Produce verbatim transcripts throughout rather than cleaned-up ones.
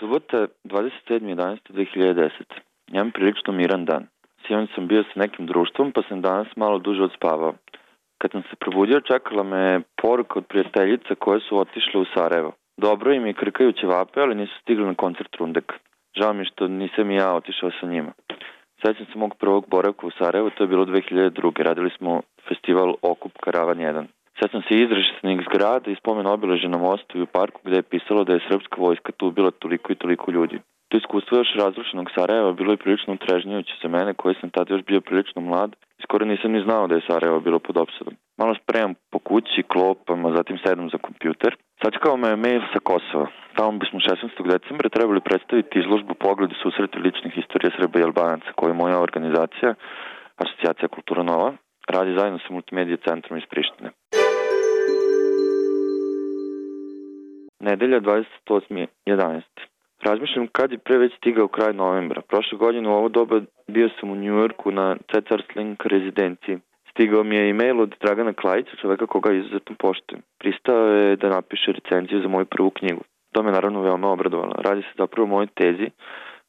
Subota, dvadeset sedmog jedanaestog dve hiljade desete. Imam prilično miran dan. Sinoć sam bio sa nekim društvom, pa sam danas malo duže odspavao. Kad sam se probudio, čekala me poruka od prijateljica koje su otišle u Sarajevo. Dobro im je krkaju ćevape, ali nisu stigli na koncert Rundek. Žao mi što nisam i ja otišao sa njima. Sećam se mog prvog boravka u Sarajevu, to je bilo dve hiljade druge. Radili smo festival Okup Karavan jedan. Sećam se izraštenih zgrada i spomen obeležja na mostu i u parku gde je pisalo da je srpska vojska tu ubila toliko i toliko ljudi. To iskustvo još razrušenog Sarajeva bilo je prilično utrežnjujuće za mene, koji sam tada još bio prilično mlad i skoro nisam ni znao da je Sarajevo bilo pod opsadom. Malo spremam po kući, klopam, a zatim sedam za kompjuter. Sačekao me mail sa Kosova. Tamo bismo šesnaestog decembra trebali predstaviti izložbu Pogledi susreti ličnih istorija Srba i Albanaca, koju je moja organizacija, Asocijacija Kultura Nova, radi zajedno sa Multimedija centrom iz Prištine. Nedelja, dvadeset osmog jedanaestog Razmišljam kad je pre već stigao kraj novembra. Prošle godine u ovo doba bio sam u Njujorku na Cesars Link rezidenciji. Stigao mi je e-mail od Dragana Klajića, čoveka koga izuzetno poštujem. Pristao je da napiše recenziju za moju prvu knjigu. To me naravno veoma obradovalo. Radi se zapravo o mojoj tezi,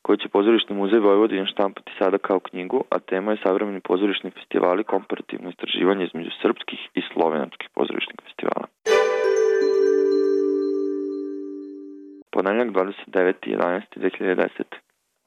koju će Pozorišni muzej Vojvodine štampati sada kao knjigu, a tema je savremeni pozorišni festivali, komparativno istraživanje između srpskih i slovenačkih pozorišnih festivala. Ponedjeljak, dvadeset deveti jedanaesti dve hiljade desete.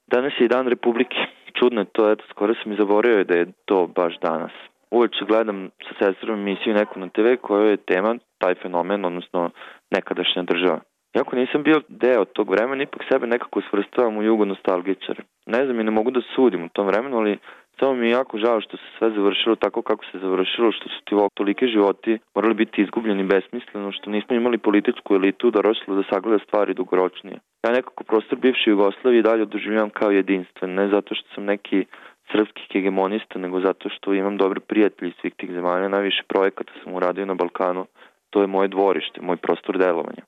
Danas je i dan Republike. Čudno je to, eto, skoro sam i zaboravio da je to baš danas. Uveče gledam sa sestrom emisiju neku na te ve koja je tema taj fenomen, odnosno nekadašnja država. Iako nisam bio deo tog vremena, ipak sebe nekako svrstavam u jugonostalgičare. Ne znam i ne mogu da sudim u tom vremenu, ali samo mi je jako žao što se sve završilo tako kako se završilo, što su ti ovog tolike životi morali biti izgubljeni besmisleno, što nismo imali političku elitu doroslu da sagleda stvari dugoročnije. Ja nekako prostor bivše Jugoslavije dalje doživljavam kao jedinstven, ne zato što sam neki srpski hegemonista, nego zato što imam dobre prijatelji svih tih zemalja, najviše projekata sam uradio na Balkanu, to je moje dvorište, moj prostor delovanja.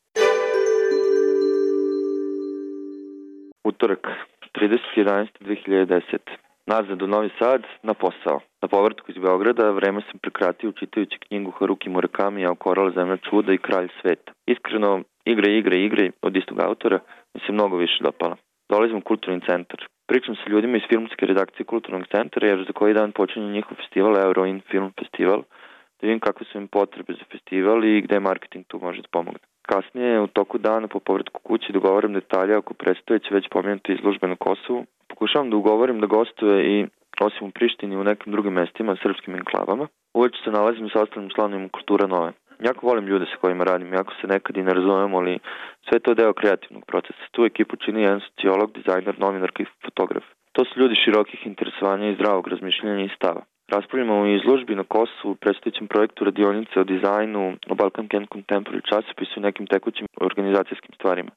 Utorak, tridesetog jedanaestog dve hiljade desete. Nazad u Novi Sad, na posao. Na povratku iz Beograda vreme sam prekratio čitajući knjigu Haruki Murakami, Korala zemlja čuda i Kralj sveta. Iskreno, igre, igre, igre od istog autora mi se mnogo više dopala. Dolazim u Kulturni centar. Pričam sa ljudima iz filmske redakcije Kulturnog centra, jer za koji dan počinje njihov festival, Euroin Film Festival, da vidim kakve su im potrebe za festival i gde marketing tu može da pomogne. Kasnije, u toku dana po povratku kući, dogovaram detalje oko predstojeće već pomenute izložbe na Kosovu. Pokušavam da ugovorim da gostuje i, osim u Prištini, u nekim drugim mestima, srpskim enklavama. Uveče se nalazim sa ostalim članovima Kultura Nove. Jako volim ljude sa kojima radim, jako se nekad i ne razumemo, ali sve to je deo kreativnog procesa. Tu ekipu čini jedan sociolog, dizajner, novinarka i fotograf. To su ljudi širokih interesovanja i zdravog razmišljanja i stava. Raspravljamo o izložbi na Kosovu, predstojećem projektu radionice o dizajnu, o Balkan Can Contemporary časopisu i nekim tekućim organizacijskim stvarima.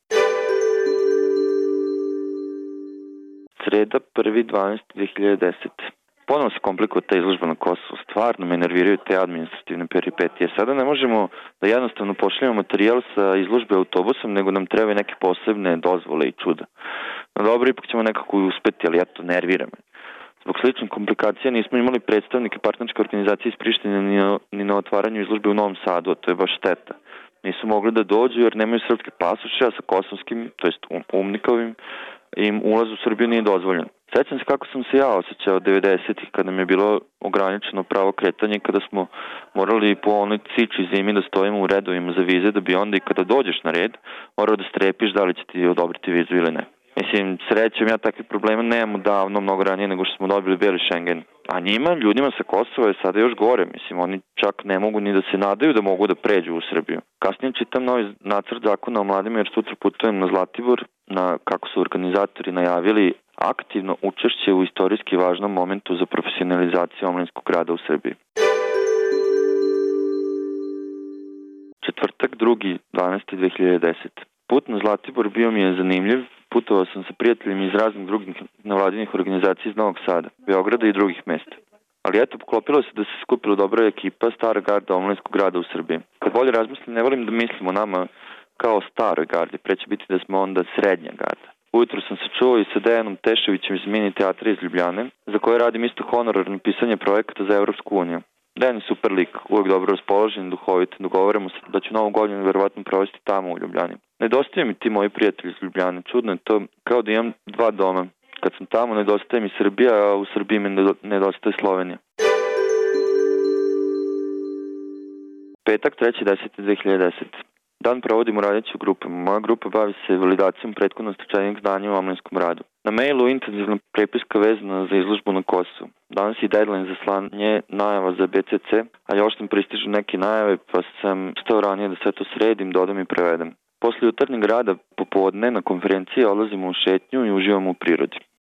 Sreda, prvi dvanaesti dve hiljade desete. Ponovno se komplikuje ta izložba na Kosovu. Stvarno me nerviraju te administrativne peripetije. Sada ne možemo da jednostavno pošaljemo materijal sa izložbe autobusom, nego nam trebaju neke posebne dozvole i čuda. No dobro, ipak ćemo nekako uspeti, ali eto, nervira me. Zbog sličnih komplikacija nismo imali predstavnike partnerske organizacije iz Prištine ni na, ni na otvaranju izložbe u Novom Sadu, a to je baš šteta. Nisu mogli da dođu jer nemaju srpske pasoše, a sa kosovskim, to jest umnikovim, im ulaz u Srbiju nije dozvoljen. Sećam se kako sam se ja osjećao devedesetih kada mi je bilo ograničeno pravo kretanje, kada smo morali po onoj ciči zimi da stojimo u redovima za vize, da bi onda i kada dođeš na red morao da strepiš da li će ti odobriti vizu ili ne. Mislim, srećem, ja takvih problema nemamo davno, mnogo ranije nego što smo dobili beli Schengen. A njima, ljudima sa Kosova je sada još gore. Mislim, oni čak ne mogu ni da se nadaju da mogu da pređu u Srbiju. Kasnije čitam novi nacrt zakona o mladima jer sutra putujem na Zlatibor, na, kako su organizatori najavili, aktivno učešće u istorijski važnom momentu za profesionalizaciju omladinskog rada u Srbiji. Četvrtak, drugi dvanaesti dve hiljade desete. Put na Zlatibor bio mi je zanimljiv. Putovao sam sa prijateljima iz raznih drugih nevladinih organizacija iz Novog Sada, Beograda i drugih mesta. Ali eto, poklopilo se da se skupila dobra ekipa stara garda omladinskog rada u Srbiji. Kad bolje razmislim, ne volim da mislimo nama kao staroj gardi, pre će biti da smo onda srednja garda. Ujutro sam se čuo i sa Dejanom Teševićem iz Mini teatra iz Ljubljane, za koje radim isto honorarno pisanje projekata za Evropsku uniju. Dejan je super lik, uvek dobro raspoložen, duhovit. Dogovorimo se da ću novu godinu verovatno provesti tamo u Ljubljani. Nedostaje mi ti moji prijatelji iz Ljubljane. Čudno je to, kao da imam dva doma. Kad sam tamo, nedostaje mi Srbija, a u Srbiji mi nedostaje Slovenija. Petak, treći deseti dve hiljade desete. Dan provodim u radeću grupama. Moja grupa bavi se validacijom prethodno stečenih znanja u omladinskom radu. Na mailu intenzivna prepiska vezana za izložbu na Kosovu. Danas je deadline za slanje najava za B C C, a još nam pristižu neke najave, pa sam stao ranije da sve to sredim, dodam i prevedem. Posle jutarnjeg rada popodne na konferenciji odlazimo u šetnju i uživamo u prirodi.